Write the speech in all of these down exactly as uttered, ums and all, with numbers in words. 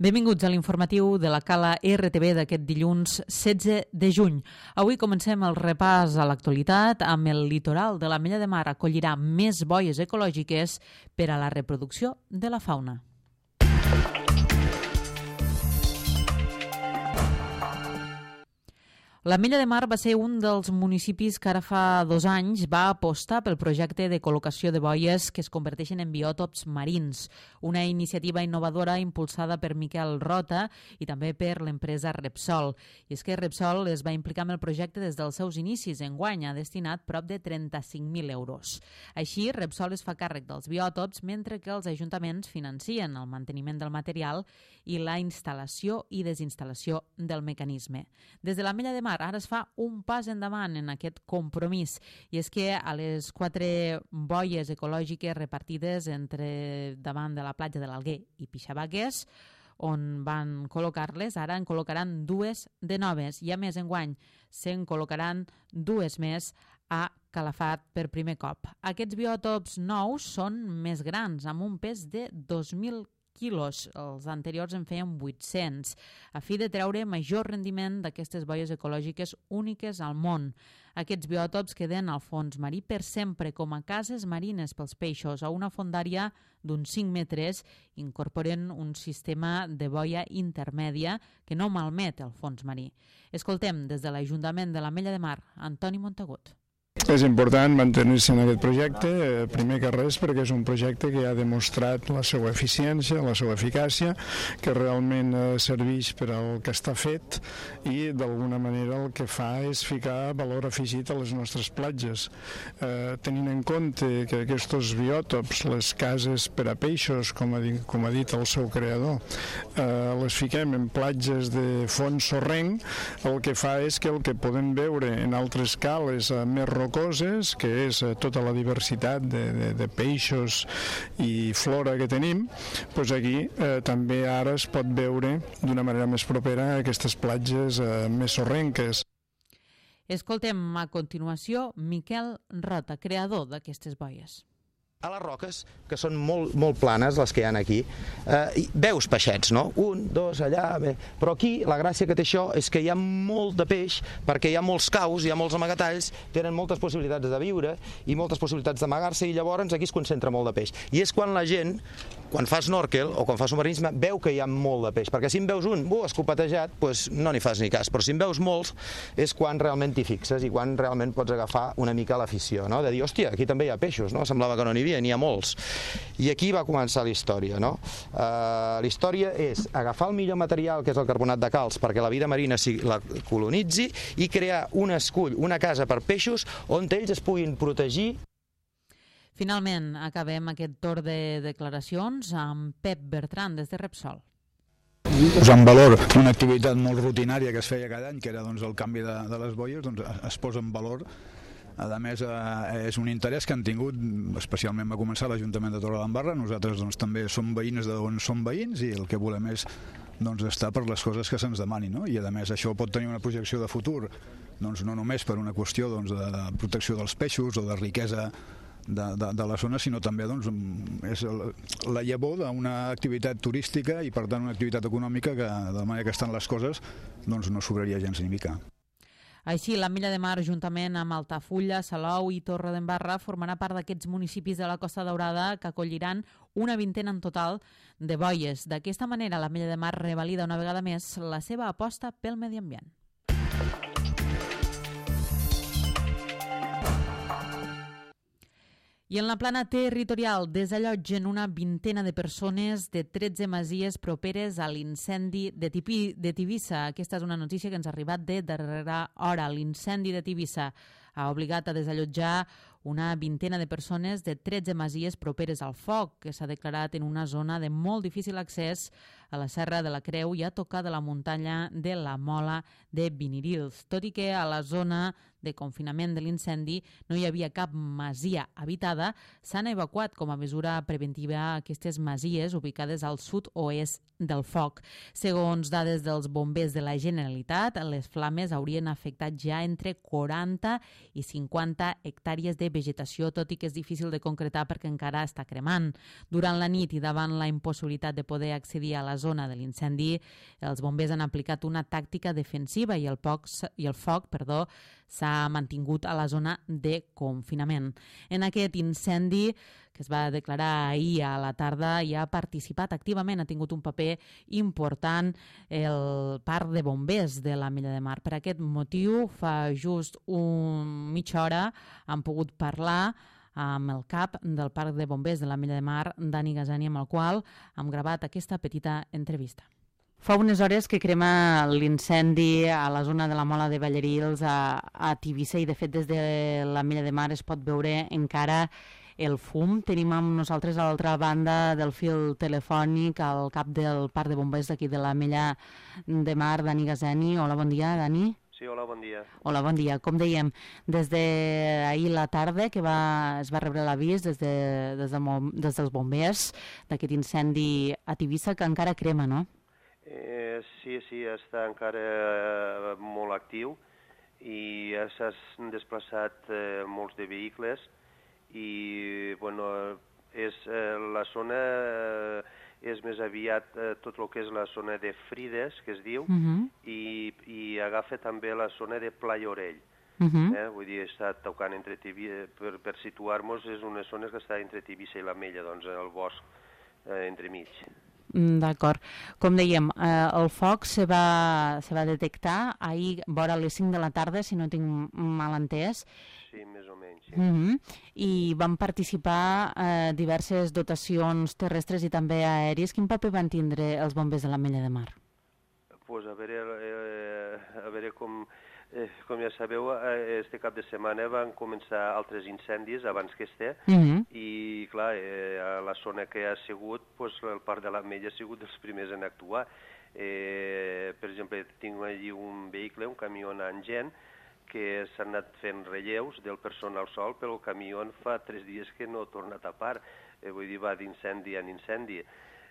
Benvinguts a l'informatiu de la Cala R T B d'aquest dilluns setze de juny. Avui comencem el repàs a l'actualitat amb el litoral de l'Ametlla de Mar acollirà més boies ecològiques per a la reproducció de la fauna. L'Ametlla de Mar va ser un dels municipis que ara fa dos anys va apostar pel projecte de col·locació de boies que es converteixen en biòtops marins, una iniciativa innovadora impulsada per Miquel Rota i també per l'empresa Repsol. I és que Repsol es va implicar en el projecte des dels seus inicis. Enguany ha destinat prop de trenta-cinc mil euros. Així, Repsol es fa càrrec dels biòtops mentre que els ajuntaments financien el manteniment del material i la instal·lació i desinstal·lació del mecanisme. Des de l'Ametlla de Mar ara es fa un pas endavant en aquest compromís, i és que a les quatre boies ecològiques repartides entre davant de la platja de l'Alguer i Pixabagues, on van col·locar-les, ara en col·locaran dues de noves, i a més enguany se'n col·locaran dues més a Calafat per primer cop. Aquests biòtops nous són més grans, amb un pes de dos mil quilos, els anteriors en feien vuit-cents, a fi de treure major rendiment d'aquestes boies ecològiques úniques al món. Aquests biòtops queden al fons marí per sempre com a cases marines pels peixos a una fondària d'uns cinc metres, incorporen un sistema de boia intermèdia que no malmet el fons marí. Escoltem des de l'Ajuntament de l'Ametlla de Mar, Antoni Montagut. És important mantenir-se en aquest projecte, primer que res perquè és un projecte que ha demostrat la seva eficiència, la seva eficàcia, que realment serveix per al que està fet i d'alguna manera el que fa és ficar valor afegit a les nostres platges. Eh, tenint en compte que aquests biòtops, les cases per a peixos, com ha dit, com ha dit el seu creador, eh, les fiquem en platges de fons sorrenc, el que fa és que el que podem veure en altres cales eh, més rocoses, que és tota la diversitat de, de, de peixos i flora que tenim, doncs aquí eh, també ara es pot veure d'una manera més propera aquestes platges eh, més sorrenques. Escoltem a continuació Miquel Rota, creador d'aquestes boies. A les roques, que són molt, molt planes, les que hi ha aquí, eh, veus peixets, no? Un, dos, allà... Bé. Però aquí la gràcia que té això és que hi ha molt de peix, perquè hi ha molts caus, hi ha molts amagatalls, tenen moltes possibilitats de viure i moltes possibilitats d'amagar-se, i llavors aquí es concentra molt de peix. I és quan la gent, quan fa snorkel o quan fa submarinisme, veu que hi ha molt de peix, perquè si en veus un, uh, escopetejat, doncs no n'hi fas ni cas, però si en veus molts és quan realment t'hi fixes i quan realment pots agafar una mica l'afició, no? De dir, hòstia, aquí també hi ha peixos, no? Semblava que no n'hi havia, n'hi ha molts. I aquí va començar la història, no? Uh, la història és agafar el millor material, que és el carbonat de calç, perquè la vida marina la colonitzi, i crear un escull, una casa per peixos on ells es puguin protegir. Finalment, acabem aquest torn de declaracions amb Pep Bertran des de Repsol. Posar en valor una activitat molt rutinària que es feia cada any, que era doncs, el canvi de, de les boies, doncs, es posa en valor. A més, eh, és un interès que han tingut, especialment va començar l'Ajuntament de Torredembarra. Nosaltres doncs, també som veïns d'on som veïns i el que volem és doncs, estar per les coses que se'ns demanin, no? I a més això pot tenir una projecció de futur, doncs, no només per una qüestió doncs, de, de protecció dels peixos o de riquesa de, de, de la zona, sinó també doncs, és la llavor d'una activitat turística i per tant una activitat econòmica que de la manera que estan les coses doncs, no sobraria gens ni mica. Així, l'Ametlla de Mar, juntament amb Altafulla, Salou i Torredembarra, formarà part d'aquests municipis de la Costa Daurada que acolliran una vintena en total de boies. D'aquesta manera, l'Ametlla de Mar revalida una vegada més la seva aposta pel medi ambient. I en la plana territorial desallotgen una vintena de persones de tretze masies properes a l'incendi de, de Tivissa. Aquesta és una notícia que ens ha arribat de darrera hora. L'incendi de Tivissa ha obligat a desallotjar una vintena de persones de tretze masies properes al foc, que s'ha declarat en una zona de molt difícil accés a la Serra de la Creu i a tocar de la muntanya de la Mola de Vinirils. Tot i que a la zona de confinament de l'incendi no hi havia cap masia habitada, s'han evacuat com a mesura preventiva aquestes masies ubicades al sud-oest del foc. Segons dades dels bombers de la Generalitat, les flames haurien afectat ja entre quaranta i cinquanta hectàrees de vegetació, tot i que és difícil de concretar perquè encara està cremant. Durant la nit i davant la impossibilitat de poder accedir a la la zona de l'incendi, els bombers han aplicat una tàctica defensiva i el, poc, i el foc perdó, s'ha mantingut a la zona de confinament. En aquest incendi, que es va declarar ahir a la tarda, hi ha participat activament, ha tingut un paper important el parc de bombers de l'Ametlla de Mar. Per aquest motiu, fa just un mitja hora han pogut parlar amb el cap del parc de bombers de l'Ametlla de Mar, Dani Gazani, amb el qual hem gravat aquesta petita entrevista. Fa unes hores que crema l'incendi a la zona de la Mola de Ballarils a, a Tivissa i, de fet, des de l'Ametlla de Mar es pot veure encara el fum. Tenim amb nosaltres a l'altra banda del fil telefònic el cap del parc de bombers d'aquí de l'Ametlla de Mar, Dani Gazani. Hola, bon dia, Dani. Sí, hola, bon dia. Hola, bon dia. Com dèiem, des d'ahir la tarda que va, es va rebre l'avís des, de, des, de, des dels bombers d'aquest incendi a Tivissa que encara crema, no? Eh, sí, sí, està encara eh, molt actiu i ja s'han desplaçat eh, molts de vehicles i, bueno, és, eh, la zona eh, és més aviat eh, tot el que és la zona de Frides, que es diu, uh -huh. i, i agafa també la zona de Playa Orell. Uh -huh. eh? Vull dir, està tocant entre Tivissa, per, per situar-nos, és unes zones que està entre Tivissa i l'Ametlla, doncs, en el bosc eh, entremig. D'acord. Com dèiem, eh, el foc se va, se va detectar ahir vora les cinc de la tarda, si no tinc mal entès. Sí, més o menys, sí. Uh -huh. I van participar eh, diverses dotacions terrestres i també aèries. Quin paper van tindre els bombers de l'Ametlla de Mar? Pues a veure, eh, a veure com... Eh, com ja sabeu, eh, este cap de setmana van començar altres incendis abans que este, uh -huh. i clar, eh, a la zona que ha sigut, pues, el parc de l'Ametlla ha sigut dels primers en actuar. Eh, per exemple, tinc allí un vehicle, un camió amb gent, que s'han anat fent relleus del personal sol, però el camió fa tres dies que no ha tornat a part, eh, vull dir, va d'incendi en incendi.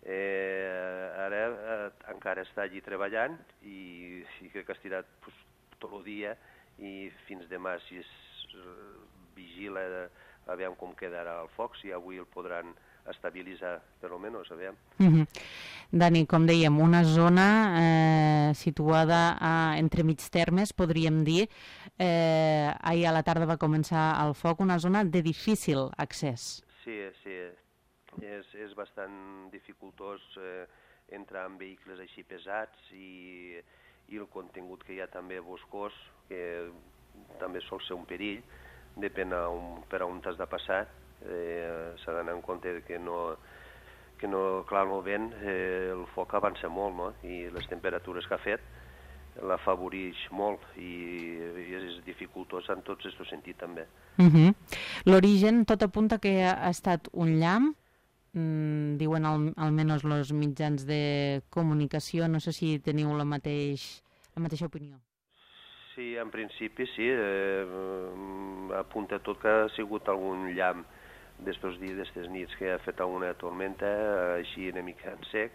Eh, ara eh, encara està allí treballant i, i crec que ha estirat pues, tot el dia i fins demà si es vigila a veure com quedarà el foc, si avui el podran estabilitzar, per almenys, a veure. Uh -huh. Dani, com dèiem, una zona eh, situada a, entre mig termes, podríem dir. Eh, ahir a la tarda va començar el foc, una zona de difícil accés. Sí, sí, és, és bastant dificultós eh, entrar en vehicles així pesats i... i el contingut que hi ha també boscós, que també sol ser un perill, depèn a un, per a on t'has de passar, eh, s'ha d'anar en compte que no, que no, clar, el vent, eh, el foc avança molt, no? I les temperatures que ha fet l'afavoreix molt i, i és dificultós en tots aquests sentits també. Uh -huh. L'origen tot apunta que ha estat un llamp, Mm, diuen al, almenys els mitjans de comunicació. No sé si teniu la, mateix, la mateixa opinió. Sí, en principi sí. Eh, apunta tot que ha sigut algun llamp d'estos dies, d'estes nits que ha fet alguna tormenta, així una mica en sec,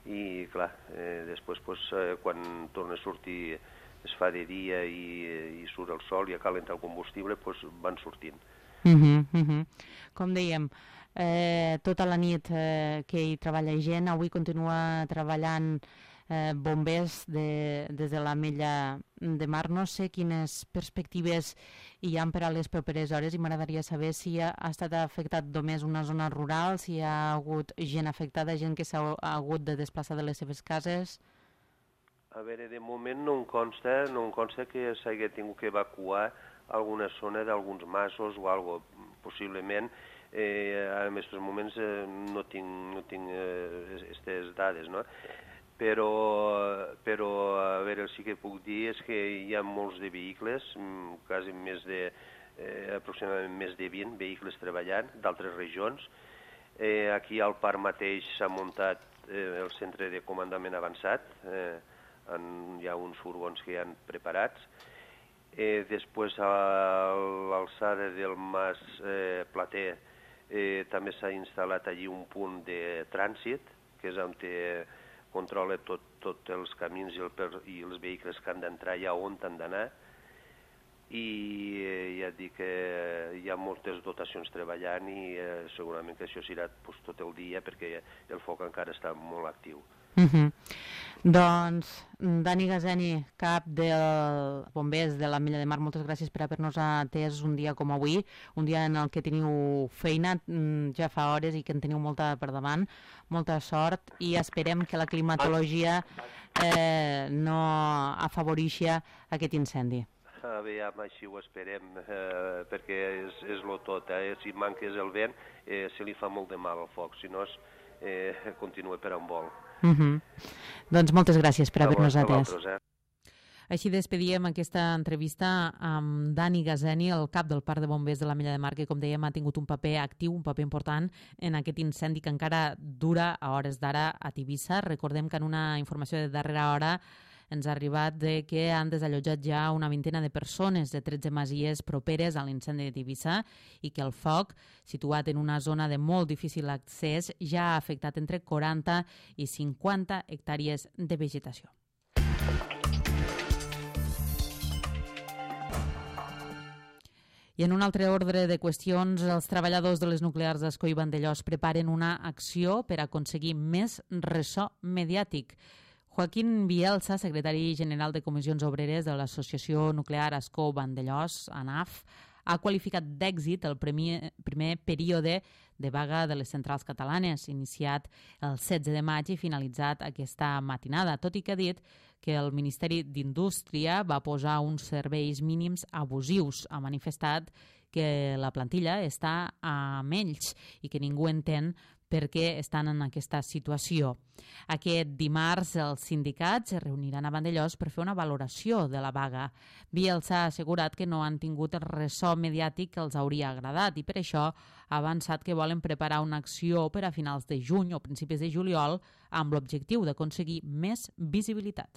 i clar, eh, després pues, eh, quan torna a sortir es fa de dia i, i surt el sol i acalenta el combustible, pues, van sortint. Uh -huh, uh -huh. Com dèiem, Eh, tota la nit eh, que hi treballa gent, avui continua treballant eh, bombers de, des de l'Ametlla de Mar. No sé quines perspectives hi ha per a les properes hores i m'agradaria saber si ha, ha estat afectat només una zona rural, si hi ha hagut gent afectada, gent que s'ha hagut de desplaçar de les seves cases. A veure, de moment no em consta, no em consta que s'hagi tingut que evacuar alguna zona d'alguns masos o alguna cosa, possiblement. Eh, ara en aquests moments eh, no tinc, no tinc aquestes eh, dades, no? Però, però a veure, el sí que puc dir és que hi ha molts de vehicles, quasi més de, eh, aproximadament més de vint vehicles treballant d'altres regions. Eh, aquí al parc mateix s'ha muntat eh, el centre de comandament avançat, eh, en, hi ha uns furgons que hi han preparats. Eh, després a l'alçada del Mas eh, Plater eh, també s'ha instal·lat allí un punt de trànsit, que és on té, controla tots tot els camins i, el, i els vehicles que han d'entrar allà on han d'anar. I eh, ja et dic que hi ha moltes dotacions treballant i eh, segurament que això serà pues, tot el dia perquè el foc encara està molt actiu. Uh-huh. Doncs, Dani Gazeni, cap del Bombers de l'Ametlla de Mar, moltes gràcies per haver-nos atès un dia com avui, un dia en el que teniu feina ja fa hores i que en teniu molta per davant, molta sort, i esperem que la climatologia eh, no afavoreixi aquest incendi. Aviam, així ho esperem, eh, perquè és, és lo tot, eh? Si manques el vent, eh, se li fa molt de mal al foc, si no es, eh, continua per on vol. Uh-huh. Doncs moltes gràcies per haver-nos atès. Eh? Així despedíem aquesta entrevista amb Dani Gazeni, el cap del Parc de Bombers de l'Ametlla de Mar, que, com dèiem, ha tingut un paper actiu, un paper important en aquest incendi que encara dura a hores d'ara a Tivissa. Recordem que en una informació de darrera hora ens ha arribat de que han desallotjat ja una vintena de persones de tretze masies properes a l'incendi de Tivissa i que el foc, situat en una zona de molt difícil accés, ja ha afectat entre quaranta i cinquanta hectàrees de vegetació. I en un altre ordre de qüestions, els treballadors de les nuclears d'Ascó i Vandellòs preparen una acció per aconseguir més ressò mediàtic. Joaquín Bielsa, secretari general de Comissions Obreres de l'Associació Nuclear Ascó Vandellòs, ANAF, ha qualificat d'èxit el primer, primer període de vaga de les centrals catalanes, iniciat el setze de maig i finalitzat aquesta matinada, tot i que ha dit que el Ministeri d'Indústria va posar uns serveis mínims abusius. Ha manifestat que la plantilla està a menys i que ningú entén per què estan en aquesta situació. Aquest dimarts els sindicats es reuniran a Vandellòs per fer una valoració de la vaga. Bielsa ha assegurat que no han tingut el ressò mediàtic que els hauria agradat i per això ha avançat que volen preparar una acció per a finals de juny o principis de juliol amb l'objectiu d'aconseguir més visibilitat.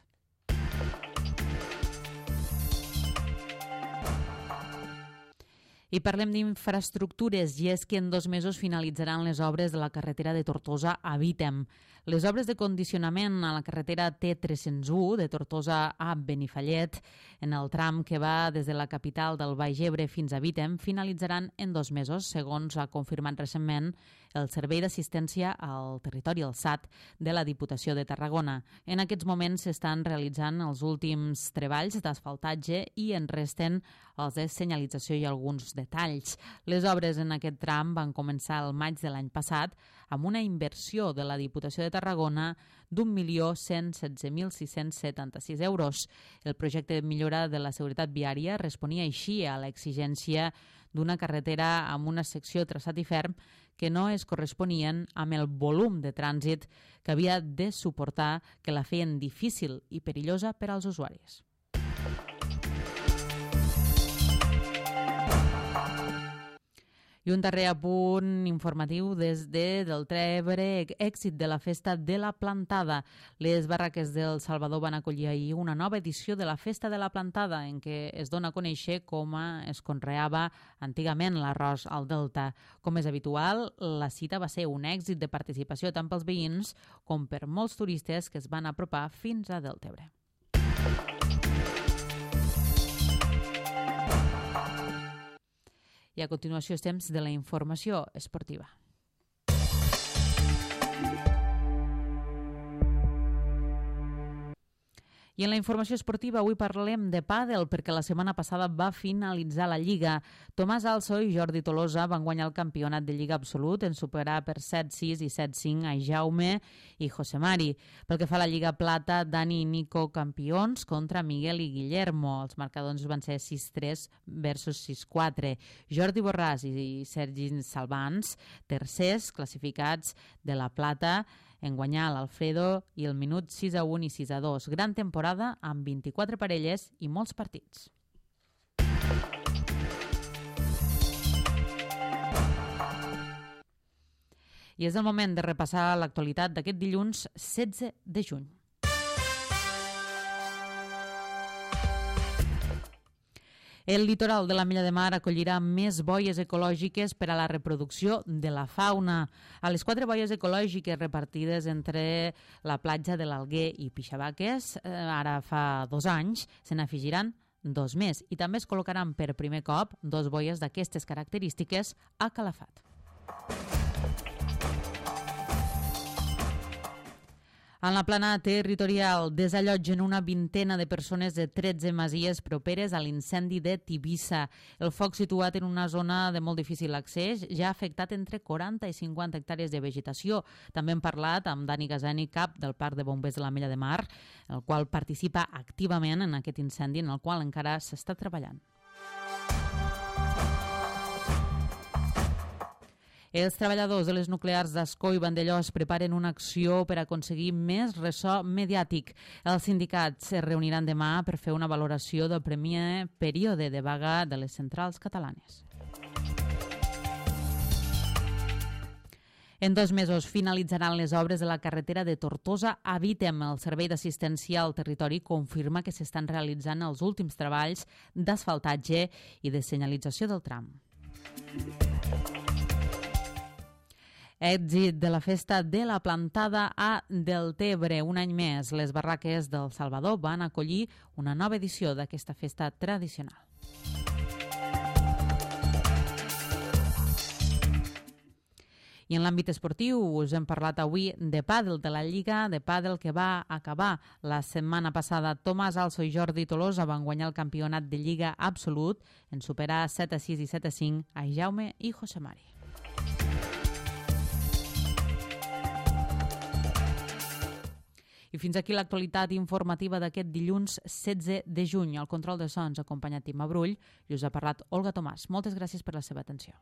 I parlem d'infraestructures, i és que en dos mesos finalitzaran les obres de la carretera de Tortosa a Vítem. Les obres de condicionament a la carretera T tres cents u de Tortosa a Benifallet, en el tram que va des de la capital del Baix Ebre fins a Vítem, finalitzaran en dos mesos, segons ha confirmat recentment el Servei d'Assistència al Territori, el S A T, de la Diputació de Tarragona. En aquests moments s'estan realitzant els últims treballs d'asfaltatge i en resten els de senyalització i alguns detalls. Les obres en aquest tram van començar el maig de l'any passat amb una inversió de la Diputació de Tarragona d'un milió cent setze mil sis-cents setanta-sis euros. El projecte de millora de la seguretat viària responia així a l'exigència d'una carretera amb una secció traçat i ferm que no es corresponien amb el volum de trànsit que havia de suportar, que la feien difícil i perillosa per als usuaris. I un darrer apunt informatiu des de Deltebre, èxit de la festa de la plantada. Les barraques del Salvador van acollir ahir una nova edició de la festa de la plantada, en què es dona a conèixer com es conreava antigament l'arròs al Delta. Com és habitual, la cita va ser un èxit de participació tant pels veïns com per molts turistes que es van apropar fins a Deltebre. I a continuació és temps de la informació esportiva. I en la informació esportiva avui parlem de pàdel perquè la setmana passada va finalitzar la Lliga. Tomàs Also i Jordi Tolosa van guanyar el campionat de Lliga absolut en superar per set sis i set cinc a Jaume i José Mari. Pel que fa a la Lliga Plata, Dani i Nico campions contra Miguel i Guillermo. Els marcadors van ser sis tres versus sis quatre. Jordi Borràs i Sergi Salvans, tercers classificats de la Plata, en guanyar l'Alfredo i el minut sis a un i sis a dos. Gran temporada amb vint-i-quatre parelles i molts partits. I és el moment de repassar l'actualitat d'aquest dilluns setze de juny. El litoral de l'Ametlla de Mar acollirà més boies ecològiques per a la reproducció de la fauna. A les quatre boies ecològiques repartides entre la platja de l'Alguer i Pixabaques, eh, ara fa dos anys, se n'afegiran dos més i també es col·locaran per primer cop dos boies d'aquestes característiques a Calafat. En la plana territorial desallotgen una vintena de persones de tretze masies properes a l'incendi de Tivissa. El foc, situat en una zona de molt difícil accés, ja ha afectat entre quaranta i cinquanta hectàrees de vegetació. També hem parlat amb Dani Gazani, cap del Parc de Bombers de l'Ametlla de Mar, el qual participa activament en aquest incendi en el qual encara s'està treballant. Els treballadors de les nuclears d'Ascó i Vandellòs preparen una acció per aconseguir més ressò mediàtic. Els sindicats es reuniran demà per fer una valoració del primer període de vaga de les centrals catalanes. En dos mesos finalitzaran les obres de la carretera de Tortosa a Vítem. El Servei d'Assistència al Territori confirma que s'estan realitzant els últims treballs d'asfaltatge i de senyalització del tram. Èxit de la festa de la plantada a Deltebre. Un any més, les barraques del Salvador van acollir una nova edició d'aquesta festa tradicional. I en l'àmbit esportiu us hem parlat avui de pàdel, de la Lliga de pàdel que va acabar la setmana passada. Tomàs Also i Jordi Tolosa van guanyar el campionat de Lliga absolut en superar set a sis i set a cinc a Jaume i José Mari. I fins aquí l'actualitat informativa d'aquest dilluns setze de juny. Al control de sons, acompanyat Tim Abrull, i us ha parlat Olga Tomàs. Moltes gràcies per la seva atenció.